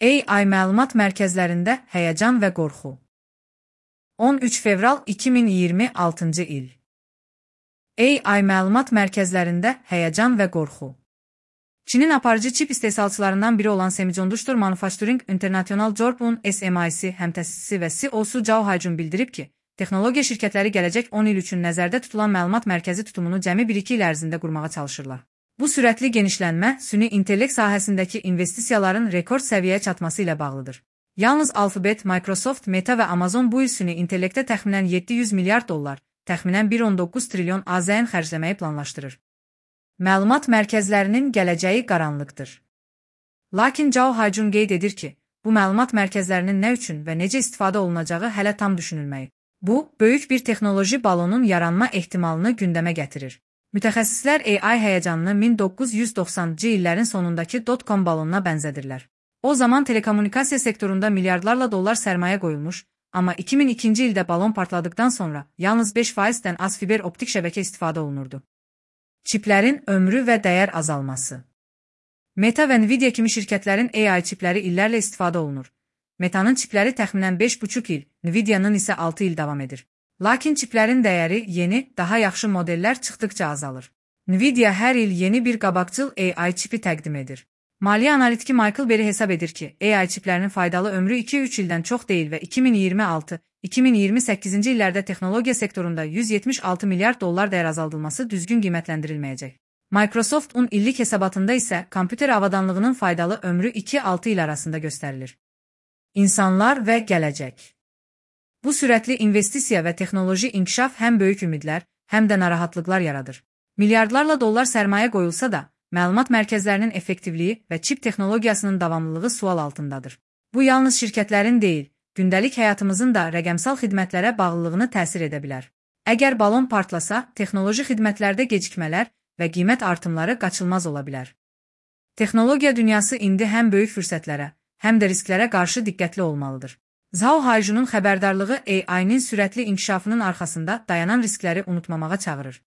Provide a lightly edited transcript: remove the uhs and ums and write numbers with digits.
AI məlumat mərkəzlərində həyəcan və qorxu. 13 fevral 2026-cı il. AI məlumat mərkəzlərində həyəcan və qorxu. Çinin aparıcı çip istehsalçılarından biri olan Semiconductor Manufacturing International Corp-un SMIC həmtəsisçisi və CEO-su Zhao Haijun bildirib ki, texnologiya şirkətləri gələcək 10 il üçün nəzərdə tutulan məlumat mərkəzi tutumunu cəmi 1-2 il ərzində qurmağa çalışırlar. Bu sürətli genişlənmə süni intellekt sahəsindəki investisiyaların rekord səviyyəyə çatması ilə bağlıdır. Yalnız Alphabet, Microsoft, Meta və Amazon bu il süni intellektə təxminən 700 milyard dollar, təxminən 1.19 trilyon AZN xərcləməyi planlaşdırır. Məlumat mərkəzlərinin gələcəyi qaranlıqdır. Lakin Zhao Haijun qeyd edir ki, bu məlumat mərkəzlərinin nə üçün və necə istifadə olunacağı hələ tam düşünülməyib. Bu, böyük bir texnoloji balonun yaranma ehtimalını gündəmə gətirir. Mütəxəssislər AI həyəcanını 1990-cı illərin sonundakı dot-com balonuna bənzədirlər. O zaman telekommunikasiya sektorunda milyardlarla dollar sərmayə qoyulmuş, amma 2002-ci ildə balon partladıqdan sonra yalnız 5%-dən az fiber optik şəbəkə istifadə olunurdu. Çiplərin ömrü və dəyər azalması. Meta və Nvidia kimi şirkətlərin AI çipləri illərlə istifadə olunur. Meta'nın çipləri təxminən 5,5 il, Nvidia'nın isə 6 il davam edir. Lakin çiplərin dəyəri yeni, daha yaxşı modellər çıxdıqca azalır. Nvidia hər il yeni bir qabaqcıl AI çipi təqdim edir. Maliyyə analitiki Michael Berry hesab edir ki, AI çiplərinin faydalı ömrü 2-3 ildən çox deyil və 2026-2028-ci illərdə texnologiya sektorunda 176 milyard dollar dəyər azaldılması düzgün qiymətləndirilməyəcək. Microsoft'un illik hesabatında isə kompüter avadanlığının faydalı ömrü 2-6 il arasında göstərilir. İnsanlar və gələcək. Bu sürətli investisiya və texnoloji inkişaf həm böyük ümidlər, həm də narahatlıqlar yaradır. Milyardlarla dollar sərmayə qoyulsa da, məlumat mərkəzlərinin effektivliyi və çip texnologiyasının davamlılığı sual altındadır. Bu yalnız şirkətlərin deyil, gündəlik həyatımızın da rəqəmsal xidmətlərə bağlılığını təsir edə bilər. Əgər balon partlasa, texnoloji xidmətlərdə gecikmələr və qiymət artımları qaçılmaz ola bilər. Texnologiya dünyası indi həm böyük fürsətlərə, həm də risklərə qarşı diqqətli olmalıdır. Zhao Haijun'un xəbərdarlığı AI-nin sürətli inkişafının arxasında dayanan riskləri unutmamağa çağırır.